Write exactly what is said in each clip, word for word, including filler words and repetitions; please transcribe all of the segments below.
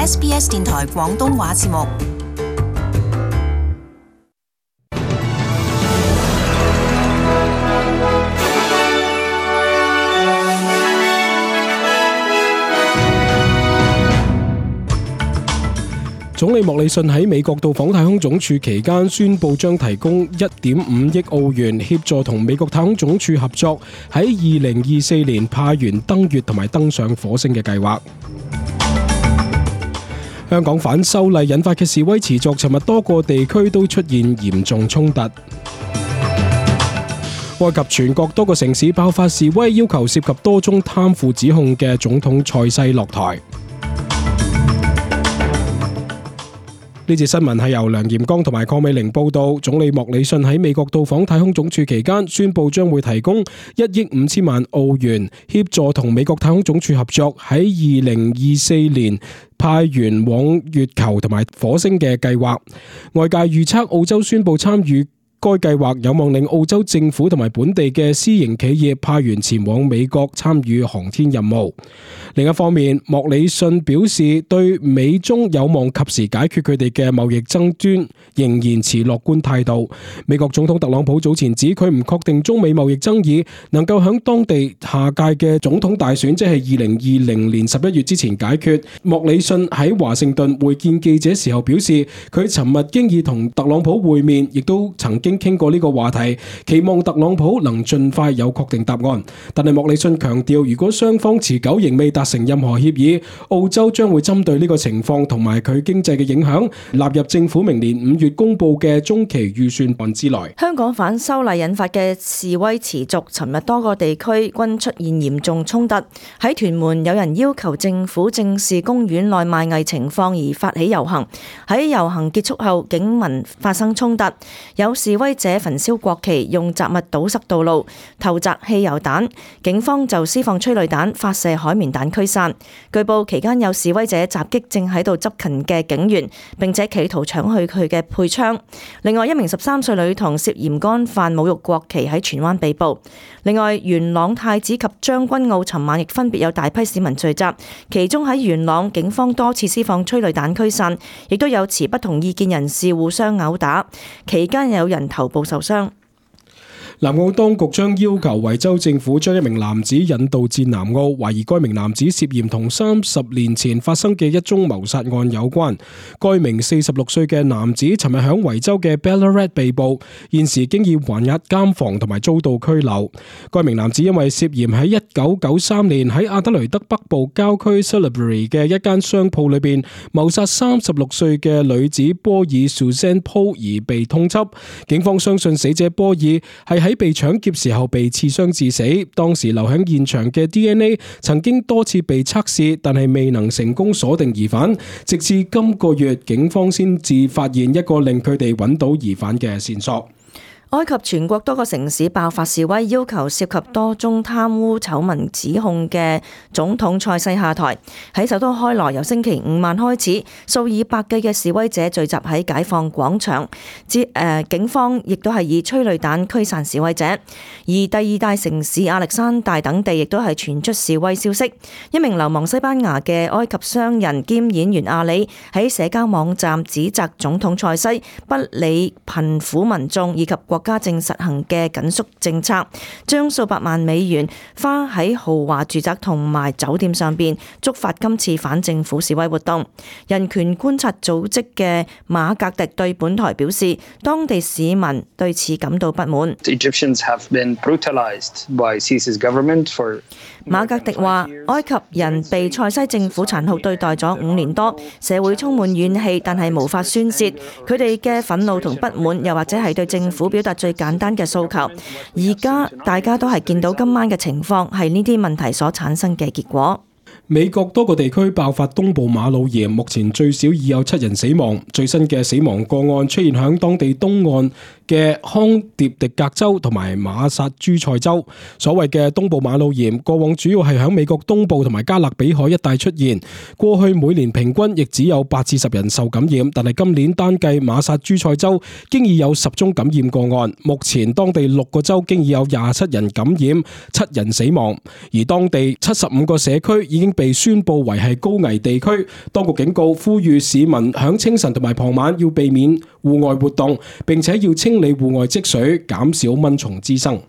S B S 電台廣東話節目。總理莫里遜喺美國到訪太空總署期間宣布將提供一點五億澳元協助同美國太空總署合作喺二零二四年派員登月同埋登上火星嘅計劃。香港反修例引發嘅示威持續，尋日多個地區都出現嚴重衝突。埃及全國多個城市爆發示威，要求涉及多宗貪腐指控嘅總統塞西落台。呢節新聞係由梁炎剛同埋鄺美玲報道。總理莫里遜喺美國到訪太空總署期間，宣布將會提供一億五千萬澳元協助同美國太空總署合作喺二零二四年派員往月球同埋火星嘅計劃。外界預測澳洲宣布參與該計劃有望令澳洲政府同埋本地嘅私營企業派員前往美國參與航天任務。另一方面，莫里遜表示對美中有望及時解決佢哋嘅貿易爭端仍然持樂觀態度。美國總統特朗普早前指佢唔確定中美貿易爭議能夠響當地下屆嘅總統大選，即係二零二零年十一月之前解決。莫里遜喺華盛頓會見記者時候表示，佢尋日經已同特朗普會面，亦都曾經傾過呢個話題，期望特朗普能盡快有確定答案。但係莫里遜強調，如果雙方持久仍未達成任何協議，澳洲將會針對呢個情況同埋佢經濟嘅影響納入政府明年五月公布嘅中期預算案之內。香港反修例引發嘅示威持續，尋日多個地區均出現嚴重衝突。喺屯門，有人要求政府正視公園內賣藝情況而發起遊行。喺遊行結束後，警民發生衝突，有示威者焚燒國旗，用雜物堵塞道路，投擲汽油彈，警方就施放催淚彈、發射海綿彈驅散。據報期間有示威者襲擊正喺度執勤嘅警員，並且企圖搶去佢嘅配槍。另外一名十三歲女童涉嫌干犯侮辱國旗喺荃灣被捕。另外元朗太子及將軍澳尋晚亦分別有大批市民聚集，其中喺元朗警方多次施放催淚彈驅散，亦都有持不同意見人士互相毆打，期間有人頭部受傷。南澳當局將要求維州政府將一名男子引渡至南澳，懷疑該名男子涉嫌同三十年前發生嘅一宗謀殺案有關。該名四十六歲嘅男子尋日響維州嘅 Ballarat 被捕，現時經已還押監房同埋遭到拘留。該名男子因為涉嫌喺一九九三年喺阿德雷德北部郊區 Salisbury 嘅一間商鋪裏邊謀殺三十六歲嘅女子波爾 Suzanne Paul 而被通緝。警方相信死者波爾係喺被搶劫時候被刺傷致死，當時留喺現場嘅 D N A 曾經多次被測試，但係未能成功鎖定疑犯，直至今個月警方先至發現一個令佢哋揾到疑犯嘅線索。埃及全國多個城市爆發示威，要求涉及多宗貪污醜聞指控嘅總統塞西下台。喺首都開羅，由星期五晚開始，數以百計嘅示威者聚集喺解放廣場，之誒警方亦都係以催淚彈驅散示威者。而第二大城市亞歷山大等地亦都係傳出示威消息。一名流亡西班牙嘅埃及商人兼演員阿里喺社交網站指責總統塞西不理貧苦民眾以及國家正實行嘅緊縮政策，將數百萬美元花喺豪華住宅同埋酒店上邊，觸發今次反政府示威活動。人權觀察組織嘅馬格迪對本台表示，當地市民對此感到不滿。Egyptians have been brutalized by Sisi's government for 馬格迪話：埃及人被塞西政府殘酷對待咗五年多，社會充滿怨氣，但係無法宣泄佢哋嘅憤怒同不滿，又或者係對政府表達最簡單嘅訴求。而家大家都係見到今晚嘅情況係呢啲問題所產生嘅結果。美國多個地區爆發東部馬腦炎，目前最少已有七人死亡。最新嘅死亡個案出現響當地東岸嘅康涅狄格州同埋馬薩諸塞州。所謂嘅東部馬腦炎，過往主要係喺美國東部同埋加勒比海一帶出現，過去每年平均亦只有八至十人受感染，但係今年單計馬薩諸塞州經已有十宗感染個案，目前當地六個州經已有廿七人感染，七人死亡，而當地七十五個社區已經被宣布為係高危地區。當局警告，呼籲市民響清晨同埋傍晚要避免戶外活動，並且要清理戶外積水，減少蚊蟲滋生。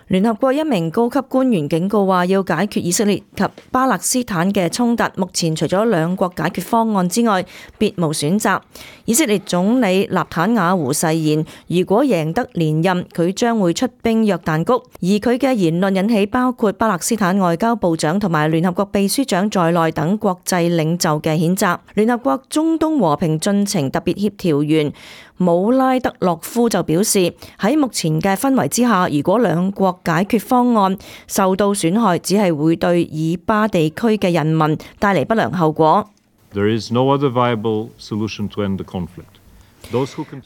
聯合國一名高級官員警告話，要解決以色列及巴勒斯坦嘅衝突，目前除咗兩國解決方案之外，別無選擇。以色列總理納坦雅胡誓言，如果贏得連任，佢將會出兵約旦谷。而佢嘅言論引起包括巴勒斯坦外交部長同埋聯合國秘書長在內等國際領袖嘅譴責。聯合國中東和平進程特別協調員姆拉德洛夫就表示，喺目前嘅氛圍之下，如果兩國解決方案受到損害，只係會對以巴地區嘅人民帶嚟不良後果。There is no other viable solution to end the conflict.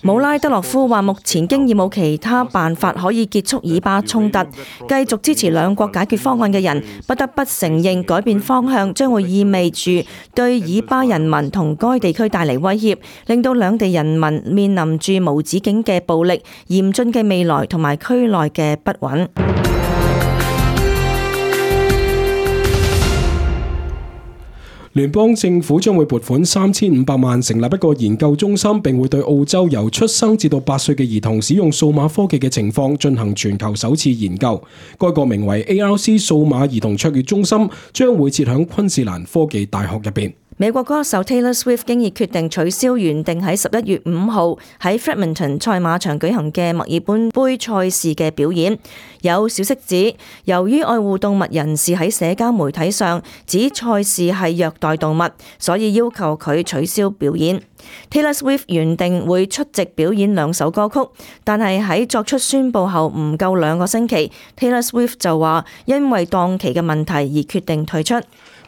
姆拉德洛夫話：目前經已冇其他辦法可以結束以巴衝突，繼續支持兩國解決方案嘅人不得不承認，改變方向將會意味住對以巴人民同該地區帶嚟威脅，令到兩地人民面臨住無止境嘅暴力、嚴峻嘅未來同埋區內嘅不穩。聯邦政府將會撥款三千五百萬成立一個研究中心，並會對澳洲由出生至到八歲嘅兒童使用數碼科技嘅情況進行全球首次研究。該個名為 A R C 數碼兒童卓越中心將會設響昆士蘭科技大學入邊。美國歌手 Taylor Swift 經已決定取消原定喺十一月五號喺 Flemington 賽馬場舉行嘅墨爾本杯賽事嘅表演。有消息指，由於愛護動物人士喺社交媒體上指賽事係虐待動物，所以要求佢取消表演。Taylor Swift 原定會出席表演兩首歌曲，但係喺作出宣佈後唔夠兩個星期， Taylor Swift 就話因為檔期嘅問題而決定退出。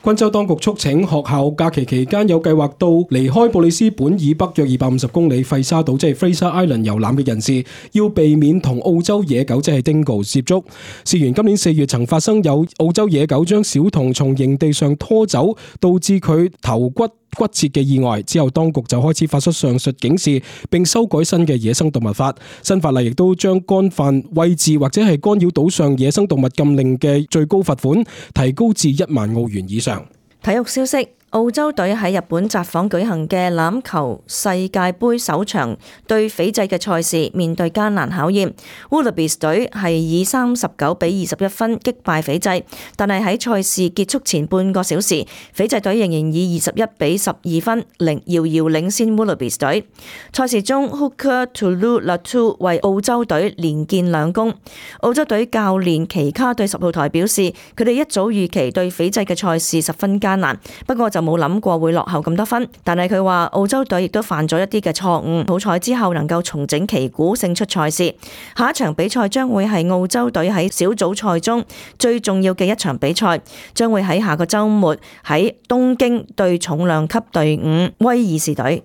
昆州當局促請學校假期期間有計劃到離開布里斯本以北約二百五十公里費沙島即係 Fraser Island 遊覽嘅人士，要避免同澳洲野狗即係 Dingo 接觸。事緣今年四月曾發生有澳洲野狗將小童從營地上拖走，導致佢頭骨骨折嘅意外，之後當局就開始發出上述警示，並修改新嘅野生動物法。新法例亦都將干犯餵飼或者係干擾島上野生動物禁令嘅最高罰款提高至一萬澳元以上。體育消息。澳洲隊喺日本札幌舉行嘅欖球世界盃首場對斐濟嘅賽事，面對艱難考驗。Wallabies 隊係以三十九比二十一分擊敗斐濟，但係喺賽事結束前半個小時，斐濟隊仍然以二十一比十二分領遙遙領先 Wallabies 隊。賽事中 Hooker Tulu-Latu 為澳洲隊連建兩功。澳洲隊教練奇卡對十號台表示，佢哋一早預期對斐濟嘅賽事十分艱難，不過就冇諗過會落後咁多分，但係佢話澳洲隊亦都犯咗一啲嘅錯誤，好彩之後能夠重整旗鼓，勝出賽事。下一場比賽將會係澳洲隊喺小組賽中最重要嘅一場比賽，將會喺下個週末喺東京對重量級隊伍威爾士隊。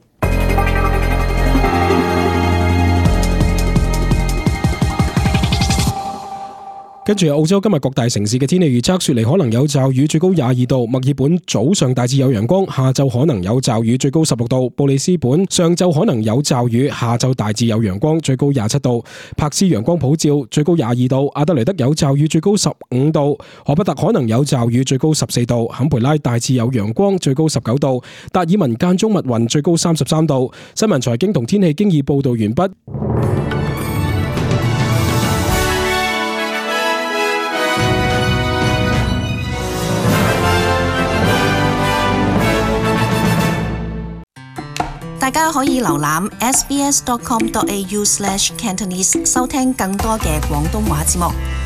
跟住澳洲今日各大城市嘅天氣預測，雪梨可能有驟雨，最高廿二度；墨爾本早上大致有陽光，下晝可能有驟雨，最高十六度；布里斯本上晝可能有驟雨，下晝大致有陽光，最高廿七度；柏斯陽光普照，最高廿二度；阿德雷德有驟雨，最高十五度；荷伯特可能有驟雨，最高十四度；坎培拉大致有陽光，最高十九度；達爾文間中密雲，最高三十三度。新聞財經同天氣經已報道完畢。大家可以瀏覽 s b s dot com dot a u slash cantonese 收聽更多嘅廣東話節目。